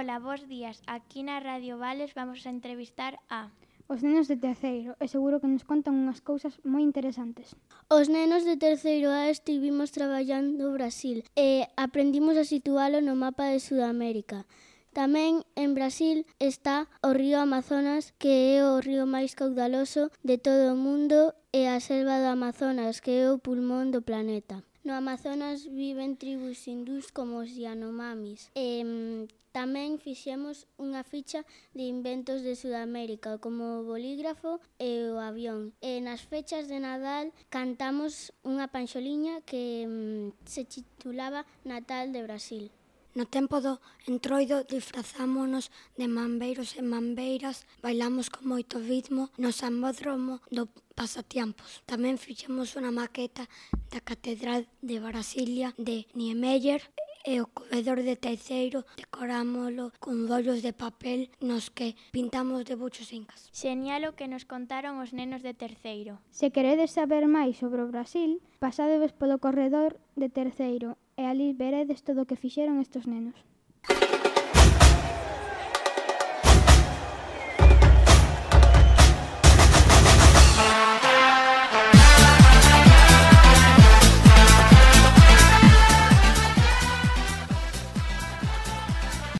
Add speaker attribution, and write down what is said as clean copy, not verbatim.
Speaker 1: Ola, bos días. Aquí na Radio Vales vamos a entrevistar a...
Speaker 2: Os nenos de terceiro, e seguro que nos contan unhas cousas moi interesantes.
Speaker 3: Os nenos de terceiro A estivimos traballando no Brasil e aprendimos a situalo no mapa de Sudamérica. Tamén en Brasil está o río Amazonas, que é o río máis caudaloso de todo o mundo, e a selva do Amazonas, que é o pulmón do planeta. No Amazonas viven tribus hindús como os Yanomamis. Tamén fixemos unha ficha de inventos de Sudamérica, como o bolígrafo e o avión. E nas fechas de Nadal cantamos unha panxoliña que se titulaba Natal de Brasil.
Speaker 4: No tempo do entroido disfrazámonos de mambeiros e mambeiras, bailamos con moito ritmo no sambódromo do Pasatiempos. Tamén fixemos unha maqueta da Catedral de Brasilia de Niemeyer e o corredor de terceiro decorámolo con rollos de papel nos que pintamos debuxos incas.
Speaker 1: Xenial o que nos contaron os nenos de terceiro.
Speaker 2: Se queredes saber máis sobre o Brasil, pasadedes polo corredor de terceiro e alí veredes todo o que fixeron estes nenos.